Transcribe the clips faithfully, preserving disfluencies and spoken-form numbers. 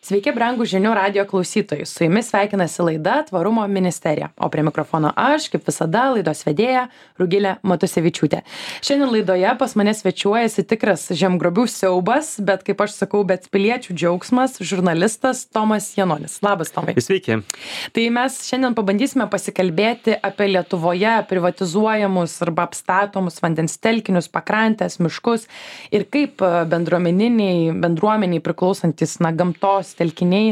Sveiki, brangūs žinių radijo klausytojai. Su jumis sveikinasi laida Tvarumo ministerija. O prie mikrofono aš, kaip visada, laidos vedėja Rugilė Matusevičiūtė. Šiandien laidoje pas mane svečiuojasi tikras žemgrobių siaubas, bet kaip aš sakau, bet piliečių džiaugsmas, žurnalistas Tomas Janonis. Labas, Tomai. Sveiki. Tai mes šiandien pabandysime pasikalbėti apie Lietuvoje privatizuojamus arba apstatomus vandens telkinius, pakrantės, miškus ir kaip bendruomeniniai, bendruomeniai priklausantis na, gamtos telkiniai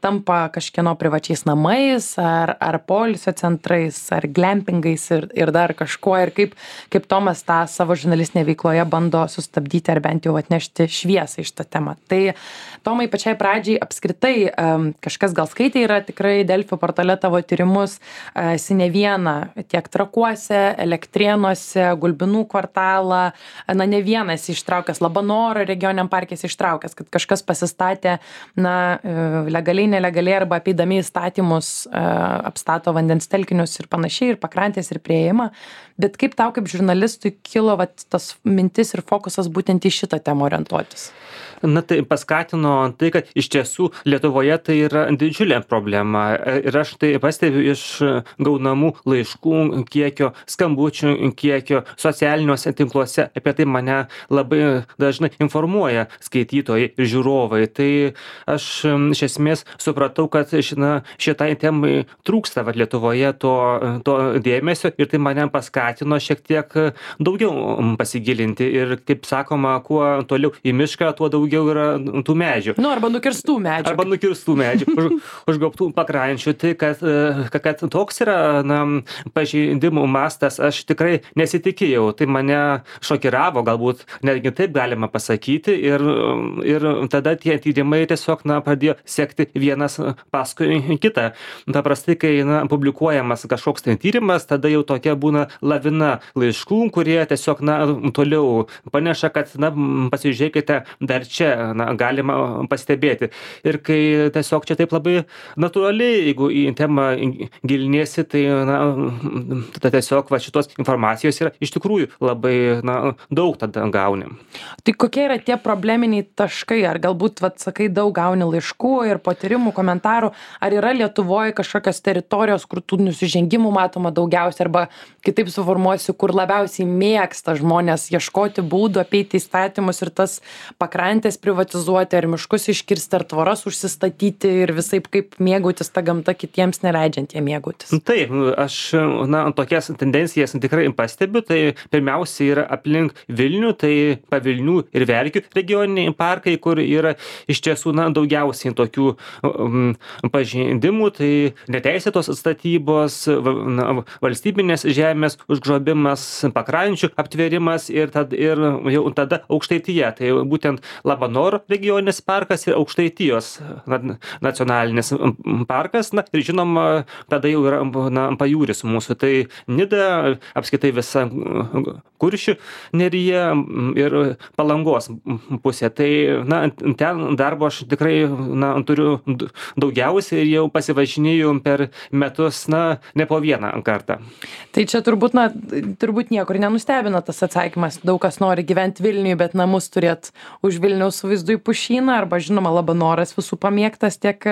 tampa kažkieno privačiais namais ar, ar poilsio centrais, ar glampingais ir, ir dar kažkuo. Ir kaip, kaip Tomas tą savo žurnalistinėje veikloje bando sustabdyti ar bent jau atnešti šviesą iš tą temą. Tai Tomai, pačiai pradžiai apskritai kažkas gal skaitė yra tikrai Delfi portale tavo tyrimus, esi ne vieną tiek Trakuose, Elektrėnuose, Gulbinų kvartalą, na ne vienas ištraukęs, Labanoro regioniniam parke ištraukęs, kad kažkas pasistatė na legaliai, nelegaliai arba apeidami įstatymus apstato vandens telkinius ir panašiai, ir pakrantės, ir prieėjimą. Bet kaip tau kaip žurnalistui kilo vat, tas mintis ir fokusas būtent į šitą temą orientuotis? Na tai paskatino tai, kad iš tiesų Lietuvoje tai yra didžiulė problema. Ir aš tai pastebiu iš gaunamų laiškų kiekio, skambučių kiekio, socialiniuose tinkluose. Apie tai mane labai dažnai informuoja skaitytojai ir žiūrovai. Tai aš iš esmės supratau, kad šina, šitai temai trūksta vat, Lietuvoje to, to dėmesio ir tai mane paskatino šiek tiek daugiau pasigilinti. Ir kaip sakoma, kuo toliau į mišką, tuo daugiau yra tų medžių. Nu, arba nukirstų medžių. Arba nukirstų medžių, už, užgaubtų pakrančių. Tai, kad, kad toks yra na, pažeidimų mastas, aš tikrai nesitikėjau. Tai mane šokiravo, galbūt netgi taip galima pasakyti. Ir, ir tada tie tyrimai tiesiog na, pradėjo sekti vienas paskui kitą. Paprastai, kai na, publikuojamas kažkoks tai tyrimas, tada jau tokia būna lavina laiškų, kurie tiesiog na, toliau paneša, kad na, pasižiūrėkite dar čia na, galima pastebėti. Ir kai tiesiog čia taip labai natūraliai, jeigu į temą giliniesi, tai na, tada tiesiog va, šitos informacijos yra iš tikrųjų labai na, daug tada gauni. Tai kokie yra tie probleminiai taškai? Ar galbūt, vat, sakai, daug gauni laiškų ir patyrimų, komentarų? Ar yra Lietuvoje kažkokios teritorijos, kur tų nusižengimų matoma daugiausia? Arba kitaip suformuosiu, kur labiausiai mėgsta žmonės ieškoti būdų apeiti įstatymus ir tas pakrantės privatizuoti, ar miškus iškirsti, ar tvoras užsistatyti ir visaip kaip mėgautis tą gamtą kitiems neleidžiant jie mėgautis. Taip, aš na, tokias tendencijas tikrai pastebiu. Tai pirmiausia yra aplink Vilnių, tai Pavilnių ir Verkių regioniniai parkai, kur yra iš tiesų na, daugiausiai tokių um, pažeidimų. Tai neteisėtos statybos, na, valstybinės žemės užgrobimas, pakrančių aptvėrimas ir, tad, ir jau tada Aukštaitija. Tai būtent Labanoro regioninis parkas ir Aukštaitijos nacionalinis parkas. Na, ir žinoma, tada jau yra na, pajūris mūsų. Tai Nida, apskritai visa Kuršių nerija ir Palangos pusė. Tai na, ten darbo aš tikrai na, turiu daugiausiai ir jau pasivažinėjau per metus na, ne po vieną kartą. Tai čia turbūt, na, turbūt niekur nenustebina tas atsakymas. Daug kas nori gyventi Vilniuje, bet namus turėt už Vilniaus su vaizdu į pušyną, arba žinoma Labanoras visų pamėgtas tiek,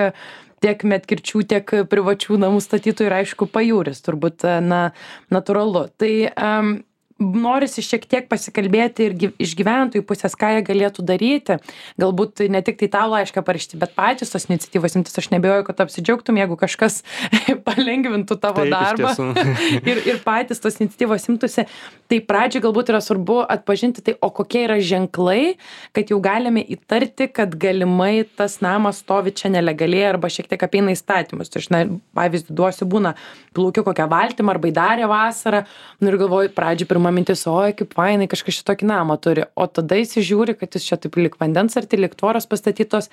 tiek medkirčių, tiek privačių namų statytojų ir aišku pajūris, turbūt na, natūralu. Tai um, norisi šiek tiek pasikalbėti ir iš gyventojų pusės, ką jie galėtų daryti. Galbūt ne tik tai tau laišką parašyti, bet patys tos iniciatyvos imtis. Aš nebejoju, kad apsidžiaugtum, jeigu kažkas palengvintų tavo Taip, darbą ir, ir patys tos iniciatyvos imtųsi. Tai pradžiai galbūt yra svarbu atpažinti tai, o kokie yra ženklai, kad jau galime įtarti, kad galimai tas namas stovi čia nelegaliai arba šiek tiek apeina įstatymus. Tai aš na, pavyzdį duosiu, būna plaukiu kokią valtymą arba įdarė vasarą, nu ir galvoju, pradžiai pirmą mintis, oi, kaip fainai, kažkas šitokį namą turi, o tada įsižiūri, kad jis čia taip lik vandens arti, lik tvoros pastatytos.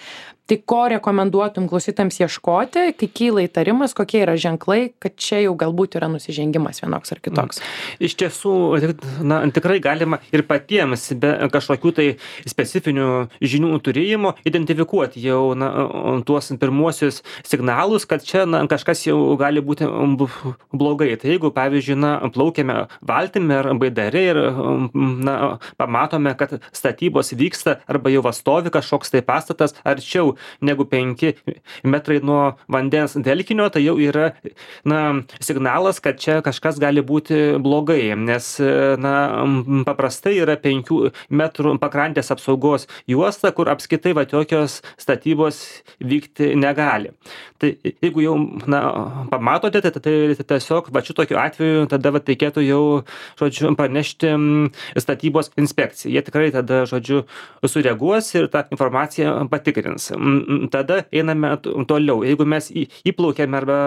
Tai ko rekomenduotum klausytams ieškoti, kai kyla įtarimas, kokie yra ženklai, kad čia jau galbūt yra nusižengimas vienoks ar kitoks? Iš tiesų, na, tikrai galima ir patiems be kažkokių tai specifinių žinių turėjimo identifikuoti jau na, tuos pirmuosius signalus, kad čia na, kažkas jau gali būti blogai. Tai jeigu, pavyzdžiui, na, plaukiame valtimi ar baidare ir na pamatome, kad statybos vyksta arba jau stovi kažkoks tai pastatas arčiau negu penki metrai nuo vandens telkinio, tai jau yra na signalas, kad čia kažkas gali būti blogai, nes na paprastai yra penkių metrų pakrantės apsaugos juosta, kur apskritai va tokios statybos vykti negali. Tai jeigu jau na pamatote, tai, tai tiesiog va šitokiu atveju tada va reikėtų jau, žodžiu, pranešti statybos inspekcijai. Jie tikrai tada, žodžiu, sureaguos ir tą informaciją patikrins. Tada einame toliau. Jeigu mes įplaukiame arba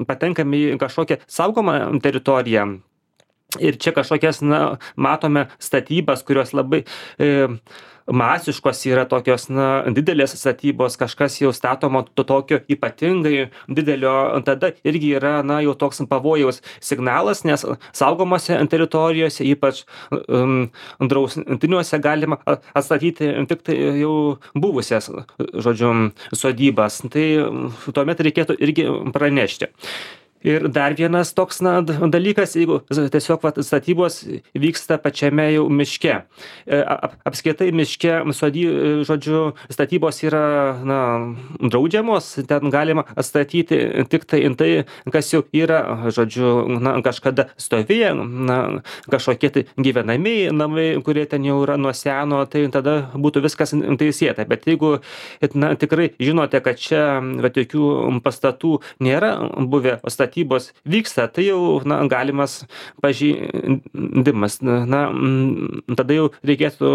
patenkame į kažkokią saugomą teritoriją ir čia kažkokias, na, matome statybas, kurios labai e, masiškos yra tokios, na, didelės statybos, kažkas jau statoma to tokio ypatingai didelio, tada irgi yra, na, jau toks pavojaus signalas, nes saugomose teritorijose, ypač um, draustiniuose galima atstatyti tik tai jau buvusias, žodžiu, sodybas. Tai tuomet reikėtų irgi pranešti. Ir dar vienas toks na, dalykas, jeigu tiesiog vat, statybos vyksta pačiame jau miške. Ap, apskritai miške, sody, žodžiu, statybos yra na, draudžiamos, ten galima atstatyti tik tai, tai kas jau yra, žodžiu, na, kažkada stovėję, na, kažkokie tai gyvenamieji namai, kurie ten jau yra nuo seno, tai tada būtų viskas teisėta. Bet jeigu na, tikrai žinote, kad čia va, tokių pastatų nėra buvę, statybos vyksta, tai jau na, galimas pažeidimas. Na, tada jau reikėtų,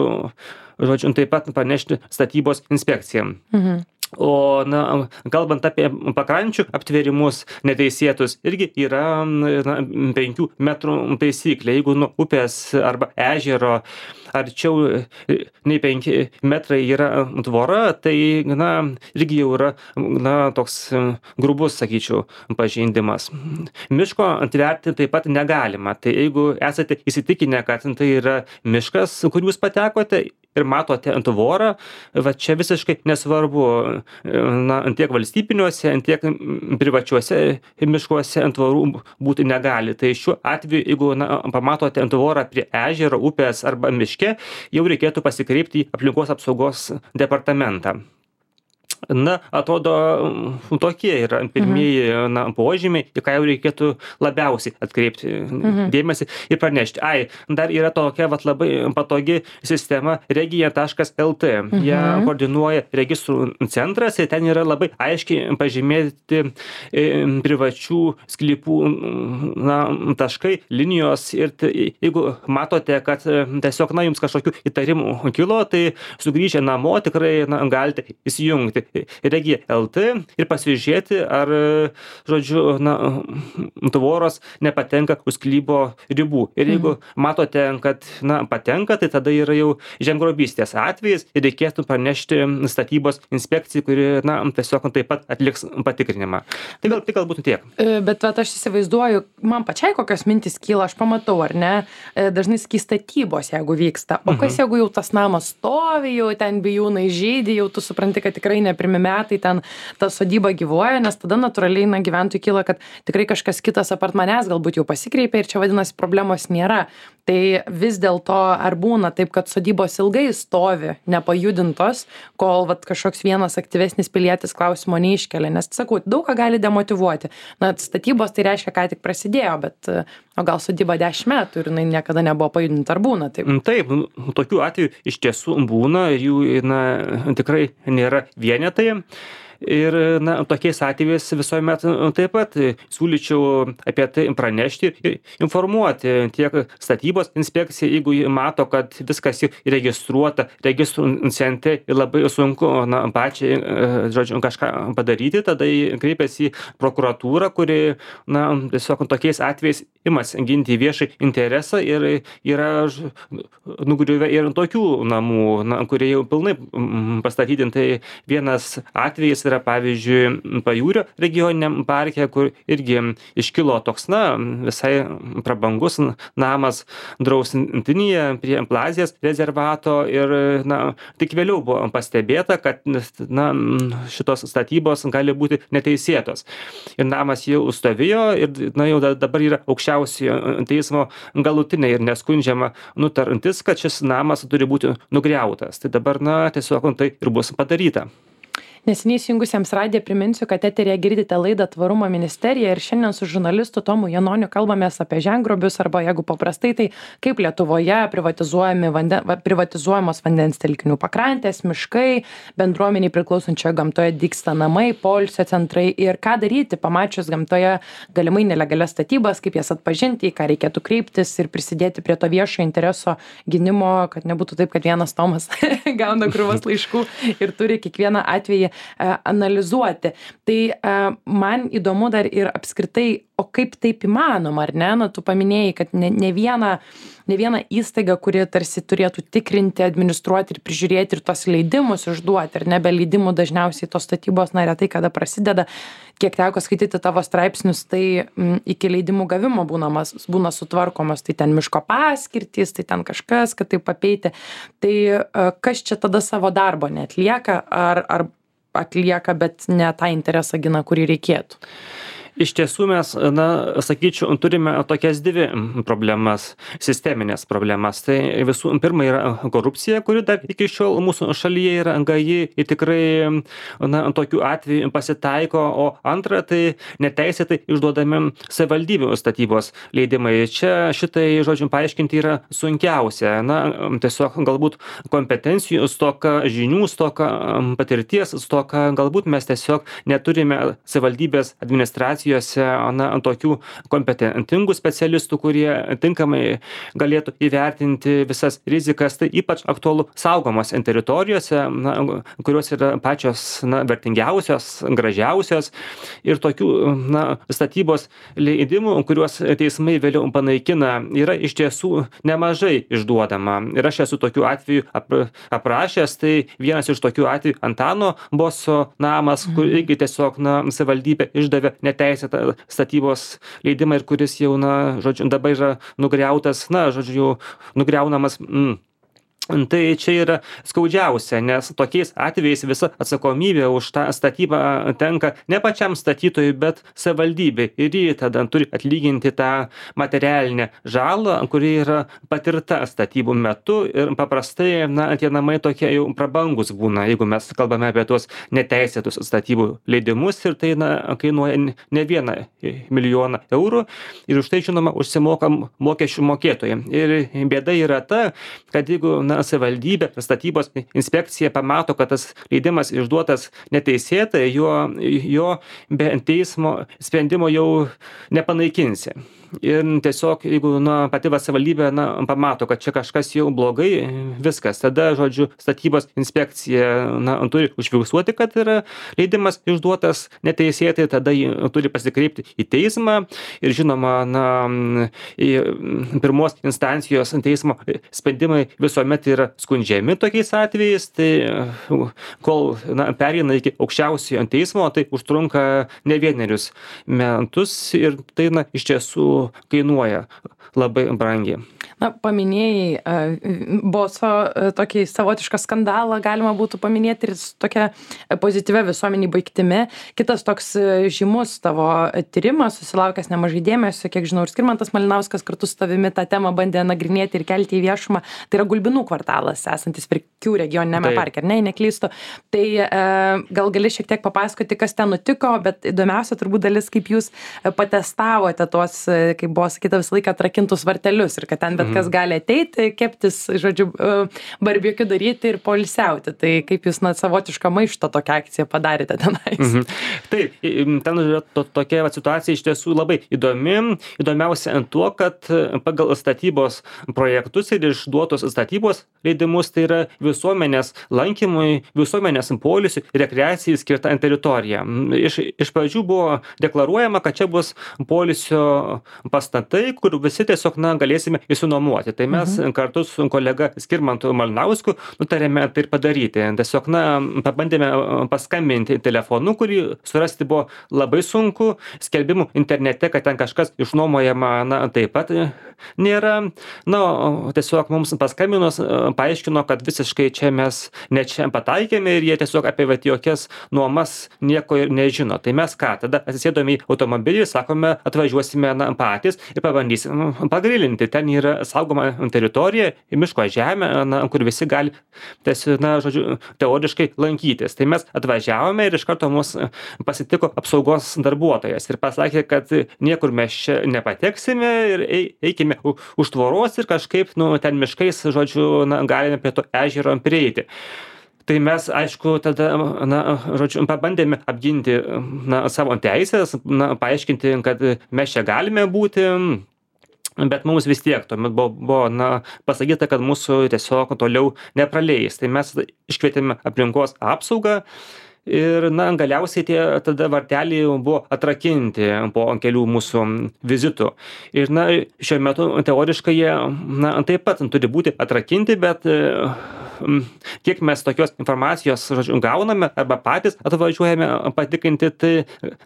žodžiu, taip pat panešti statybos inspekcijom. Mhm. O, na, kalbant apie pakrančių aptvėrimus neteisėtus, irgi yra na, penkių metrų taisyklė. Jeigu nuo upės arba ežero arčiau nei penki metrai yra tvora, tai na, irgi jau yra na, toks grubus, sakyčiau, pažeidimas. Miško atverti taip pat negalima. Tai jeigu esate įsitikinę, kad tai yra miškas, kur jūs patekote, ir matote ant tvorą, va čia visiškai nesvarbu, na, tiek valstybiniuose, tiek privačiuose miškuose ant tvorų būti negali. Tai šiuo atveju, jeigu na, pamatote ant tvorą prie ežero, upės arba miške, jau reikėtų pasikreipti į aplinkos apsaugos departamentą. Na, atrodo, tokie yra pirmieji mhm. na, požymiai, į ką jau reikėtų labiausiai atkreipti mhm. dėmesį ir pranešti. Ai, dar yra tokia vat, labai patogi sistema regija taškas el tė. Mhm. Ją koordinuoja registrų centras ir ten yra labai aiškiai pažymėti e, privačių sklypų na, taškai, linijos ir tai, jeigu matote, kad tiesiog na, jums kažkokių įtarimų kilo, tai sugrįžę namo tikrai na, galite įsijungti regija taškas el tė ir pasižiūrėti, ar, žodžiu, na, tvoros nepatenka už sklypo ribų. Ir jeigu mhm. matote, kad, na, patenka, tai tada yra jau žemgrobystės atvejis ir reikėtų pranešti statybos inspekcijai, kuri, na, tiesiog taip pat atliks patikrinimą. Tai gal, tai galbūt tiek. Bet, bet aš įsivaizduoju, man pačiai kokios mintis kyla, aš pamatau, ar ne, dažnai saky statybos, jeigu vyksta. O kas, mhm. jeigu jau tas namas stovi, jau ten bijūnai žydi, jau tu supranti, kad tikrai ne pirmi metai ten ta sodyba gyvuoja, nes tada natūraliai na, gyventojų kyla, kad tikrai kažkas kitas apart manęs galbūt jau pasikreipė ir čia vadinasi problemos nėra. Tai vis dėlto ar būna taip, kad sodybos ilgai stovi nepajudintos, kol vat, kažkoks vienas aktyvesnis pilietis klausimo neiškelia, nes sakau, daug ką gali demotyvuoti. Na, statybos tai reiškia, ką tik prasidėjo, bet o gal sodyba dešimt metų ir jinai niekada nebuvo pajudinta, ar būna taip? Taip, tokių atvejų iš tiesų būna, jų na, tikrai nėra vienetai. Ir na, tokiais atvejais visuomet taip pat siūlyčiau apie tai pranešti ir informuoti tiek statybos inspekciją, jeigu mato, kad viskas jau registruota registrų centre ir labai sunku na, pačiai, žodžiu, kažką padaryti, tada kreipiasi į prokuratūrą, kuri na, tiesiog tokiais atvejais imasi ginti viešai interesą ir yra nugriuvę ir tokių namų, na, kurie jau pilnai pastatyti. Tai vienas atvejis yra yra pavyzdžiui Pajūrio regioniniam parke, kur irgi iškilo toks, na, visai prabangus namas draustintyje prie Plazės rezervato ir, na, tik vėliau buvo pastebėta, kad, na, šitos statybos gali būti neteisėtos. Ir namas jau stovėjo ir, na, jau dabar yra aukščiausiojo teismo galutinė ir neskundžiama nutartis, kad šis namas turi būti nugriautas. Tai dabar, na, tiesiog tai ir bus padaryta. Neseniai įsijungusiems radiją priminsiu, kad eteryje girdite laidą Tvarumo ministerija ir šiandien su žurnalistu Tomu Janoniu kalbamės apie žemgrobius arba, jeigu paprastai, tai kaip Lietuvoje privatizuojami vanden, privatizuojamos vandens telkinių pakrantės, miškai, bendruomeniai priklausančioje gamtoje dygsta namai, poilsio centrai ir ką daryti, pamačius gamtoje galimai nelegalias statybas, kaip jas atpažinti, į ką reikėtų kreiptis ir prisidėti prie to viešo intereso gynimo, kad nebūtų taip, kad vienas Tomas gauna krūvas laiškų ir turi kiekvieną atvejį analizuoti. Tai man įdomu dar ir apskritai, o kaip taip įmanoma, ar ne? Na, tu paminėjai, kad ne, ne, viena, ne viena įstaiga, kuri tarsi turėtų tikrinti, administruoti ir prižiūrėti ir tos leidimus išduoti, ar ne, be leidimų dažniausiai tos statybos, na, retai kada prasideda. Kiek teko skaityti tavo straipsnius, tai m, iki leidimų gavimo būnamas, būna sutvarkomos, tai ten miško paskirtys, tai ten kažkas, kad tai papeiti. Tai kas čia tada savo darbo neatlieka, ar, ar atlieka, bet ne tą interesą gina, kurį reikėtų? Iš tiesų mes, na, sakyčiau, turime tokias dvi problemas, sisteminės problemas. Tai visų pirma yra korupcija, kuri dar iki šiol mūsų šalyje yra gaji ir tikrai, na, tokių atvejų pasitaiko, o antra, tai neteisėtai išduodami savivaldybių statybos leidimai. Čia šitai, žodžiu, paaiškinti yra sunkiausia. Na, tiesiog galbūt kompetencijų stoka, žinių stoka, patirties stoka, galbūt mes tiesiog neturime savivaldybės administracijos na, tokių kompetentingų specialistų, kurie tinkamai galėtų įvertinti visas rizikas. Tai ypač aktualu saugomos teritorijose, na, kurios yra pačios, na, vertingiausios, gražiausios ir tokių, na, statybos leidimų, kuriuos teismai vėliau panaikina, yra iš tiesų nemažai išduodama. Ir aš esu tokių atvejų aprašęs, tai vienas iš tokių atvejų Antano Boso namas, kur irgi tiesiog, na, savivaldybė išdavė neteisėtą statybos leidimą ir kuris jau, na, žodžiu, dabar yra nugriautas, na, žodžiu, nugriaunamas. Mm. Tai čia yra skaudžiausia, nes tokiais atvejais visa atsakomybė už tą statybą tenka ne pačiam statytojui, bet savivaldybei. Ir jį tada turi atlyginti tą materialinę žalą, kuri yra patirta statybų metu. Ir paprastai, na, tie namai tokie jau prabangus būna, jeigu mes kalbame apie tuos neteisėtus statybų leidimus. Ir tai, na, kainuoja ne vieną milijoną eurų. Ir už tai, žinoma, užsimoka mokesčių mokėtojai. Ir bėda yra ta, kad jeigu, na, savivaldybė, statybos inspekcija pamato, kad tas leidimas išduotas neteisėtai, jo, jo be teismo sprendimo jau nepanaikinsi. Ir tiesiog, jeigu, na, pati savivaldybė, na, pamato, kad čia kažkas jau blogai, viskas. Tada, žodžiu, statybos inspekcija, na, turi užfiksuoti, kad yra leidimas išduotas neteisėtai, tada jį turi pasikreipti į teismą. Ir žinoma, na, į pirmos instancijos teismo sprendimai visuomet yra skundžiami tokiais atvejais. Tai kol, na, pereina iki aukščiausiojo teismo, tai užtrunka ne vienerius metus ir tai, na, iš tiesų kainuoja labai brangiai. Na, paminėjai uh, Boso uh, tokį savotišką skandalą, galima būtų paminėti ir tokia pozityvia visuomenį baigtimi. Kitas toks uh, žymus tavo tyrimas, susilaukęs nemažai dėmesio, kiek žinau, ir Skirmantas Malinauskas kartu su tavimi tą temą bandė nagrinėti ir kelti į viešumą. Tai yra Gulbinų kvartalas, esantis Verkių regioniniame parke, ar ne, neklystu. Tai uh, gal gali šiek tiek papasakoti, kas ten nutiko, bet įdomiausia turbūt dalis, kaip jūs patestavote tuos, kaip buvo sakyta, visą laiką atrakintus vartelius ir kad ten bet kas gali ateiti, keptis, žodžiu, barbekiu daryti ir poilsiauti. Tai kaip jūs, na, savotišką maišto tokią akciją padarėte tenais? Mhm. Taip, ten yra to, tokia va, situacija iš tiesų labai įdomi. Įdomiausia ant tuo, kad pagal statybos projektus ir išduotos statybos leidimus tai yra visuomenės lankymui, visuomenės poilsiui, rekreacijai skirta teritorija. Iš, iš pradžių buvo deklaruojama, kad čia bus poilsio pastatai, kur visi tiesiog na, galėsime įsinuomuoti. Tai mes mhm. kartu su kolega Skirmantu Malinausku nutarėme tai ir padaryti. Tiesiog na, pabandėme paskambinti telefonu, kurį surasti buvo labai sunku. Skelbimų internete, kad ten kažkas išnuomojama, na, taip pat nėra. Na, tiesiog mums paskambinus paaiškino, kad visiškai čia mes ne čia pataikėme ir jie tiesiog apie vat, jokias nuomas nieko ir nežino. Tai mes ką, tada atsisėdome į automobilį, sakome, atvažiuosime na, patys ir pabandysim pagrilinti. Ten yra saugoma teritorija, miško žemė, na, kur visi gali, tiesiog, na, žodžiu, teoriškai lankytis. Tai mes atvažiavome ir iš karto mus pasitiko apsaugos darbuotojas ir pasakė, kad niekur mes čia nepateksime ir eikime už tvoros ir kažkaip, nu, ten miškais, žodžiu, na, galime prie to ežero prieiti. Tai mes, aišku, tada, na, žodžiu, pabandėme apginti, na, savo teisės, na, paaiškinti, kad mes čia galime būti, bet mums vis tiek tuomet buvo, buvo na, pasakyta, kad mūsų tiesiog toliau nepraleis. Tai mes iškvietėme aplinkos apsaugą ir, na, galiausiai tie tada varteliai buvo atrakinti po kelių mūsų vizitų. Ir, na, šiuo metu teoriškai jie, na, taip pat turi būti atrakinti, bet kiek mes tokios informacijos, žodžiu, gauname arba patys atvažiuojame patikrinti, tai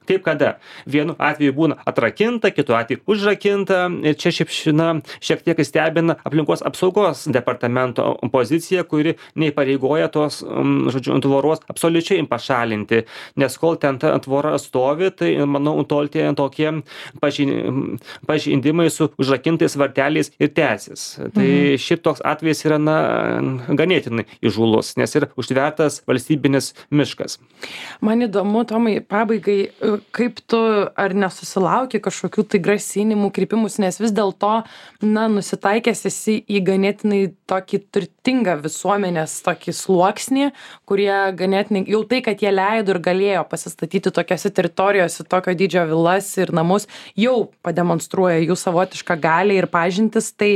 kaip kada. Vienu atveju būna atrakinta, kitu atveju užrakinta ir čia šiaip, na, šiek tiek stebina aplinkos apsaugos departamento pozicija, kuri neįpareigoja tos, žodžiu, tvoros absoliučiai pašalinti, nes kol ten ta tvora stovi, tai, manau, tol tie tokie pažeidimai su užrakintais varteliais ir tęsis. Tai mhm. šiaip toks atvejis yra, na, ganėtinai įžūlus, nes yra užtvertas valstybinis miškas. Man įdomu, Tomai, pabaigai, kaip tu ar nesusilauki kažkokių tai grasinimų, kreipimus, nes vis dėlto, na, nusitaikęs esi į ganėtinai tokį turtingą visuomenės tokį sluoksnį, kurie ganėtinai, jau tai, kad jie leido ir galėjo pasistatyti tokiose teritorijose, tokio dydžio vilas ir namus, jau pademonstruoja jų savotišką galią ir pažintis, tai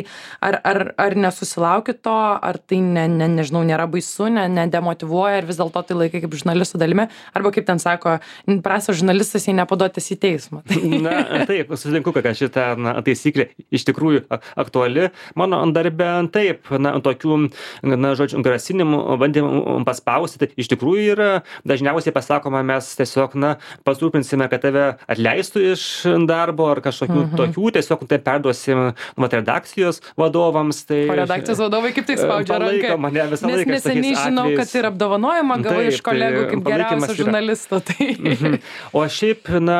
ar, ar, ar nesusilauki to, ar tai ne, ne, nežinau, nėra baisu, ne, nedemotyvuoja ir vis dėlto tai laikai kaip žurnalistų dalimi, arba kaip ten sako, prastas žurnalistas, jei nepaduotas į teismą. Na, taip, sutinku, kad šitą na, taisyklė iš tikrųjų aktuali. Mano darbe taip, na, tokių, na, žodžiu, grasinimų, bandymų paspausti, tai iš tikrųjų yra, dažniausiai pasakoma, mes tiesiog, na, pasirūpinsime, kad tave atleistų iš darbo ar kažkokių mhm. tokių, tiesiog tai perduosim, vat, redakcijos vadovams. Tai, o redakcijos vadovai kaip tai spaudžia ranką? Mane visą Nes laiką neseniai žinau, atvejais. Kad ir apdovanojimą gavai iš kolegų kaip geriausio žurnalisto. Tai. Mhm. O šiaip, na,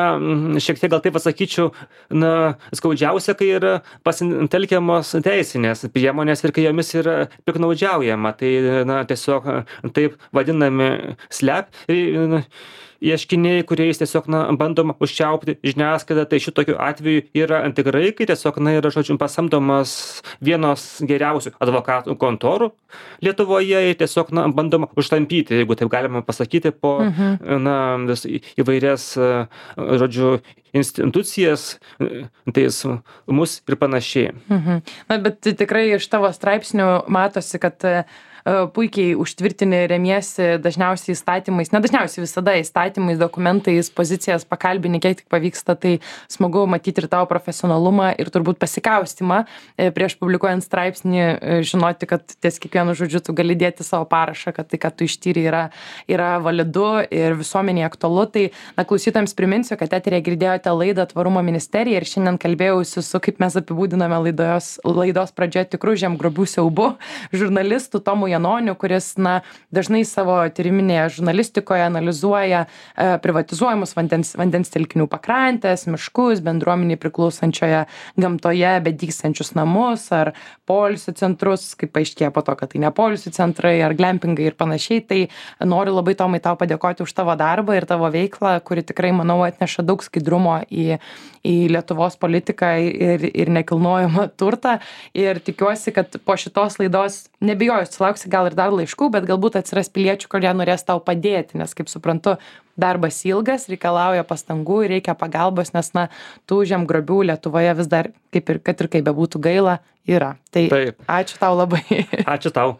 šiek tiek gal taip pasakyčiau, na, skaudžiausia, kai yra pasitelkiamos teisinės priemonės ir kai jomis yra piknaudžiaujama. Tai, na, tiesiog taip vadinami slep ieškiniai, kuriais tiesiog, na, bandoma užčiaupti žiniasklaidą, tai šitokiu atveju yra tikrai, kai tiesiog, na, yra, žodžiu, pasamdomas vienos geriausių advokatų kontorų Lietuvoje ir tiesiog, na, bandoma užtampyti, jeigu taip galima pasakyti, po, mhm. na, vis įvairias, žodžiu, institucijas, teismus ir panašiai. Mhm. Na, bet tikrai iš tavo straipsnių matosi, kad puikiai užtvirtini, remiesi dažniausiai įstatymais, ne dažniausiai visada įstatymais, dokumentais, pozicijas pakalbini, kiek tik pavyksta, tai smagu matyti ir tavo profesionalumą ir turbūt pasikaustimą prieš publikuojant straipsnį, žinoti, kad ties kiekvienu žodžiu tu gali dėti savo parašą, kad tai, kad tu ištyri, yra, yra validu ir visuomeniai aktualu. Tai, na, klausytojams priminsiu, kad eteryje girdėjote laidą Tvarumo ministerija ir šiandien kalbėjausi su, kaip mes apibūdiname laidos, laidos pradžioje, tikrų žemgrobių siaubu žurnalistų Tomu Janoniu, kuris, na, dažnai savo tyriminėje žurnalistikoje analizuoja e, privatizuojamus vandens, vandens telkinių pakrantės, miškus, bendruomeniai priklausančioje gamtoje bedygstančius namus ar poilsio centrus, kaip paaiškėjo po to, kad tai ne poilsio centrai ar glampingai ir panašiai. Tai noriu labai, Tomai, tau padėkoti už tavo darbą ir tavo veiklą, kuri tikrai, manau, atneša daug skaidrumo į, į Lietuvos politiką ir, ir nekilnojamą turtą. Ir tikiuosi, kad po šitos laidos nebijoju, sulauksi sulauksi gal ir dar laiškų, bet galbūt atsiras piliečių, kurie norės tau padėti, nes, kaip suprantu, darbas ilgas, reikalauja pastangų ir reikia pagalbos, nes, na, tų žemgrobių Lietuvoje vis dar, kaip ir, kad ir kaip bebūtų gaila, yra. Tai Taip. ačiū tau labai. Ačiū tau.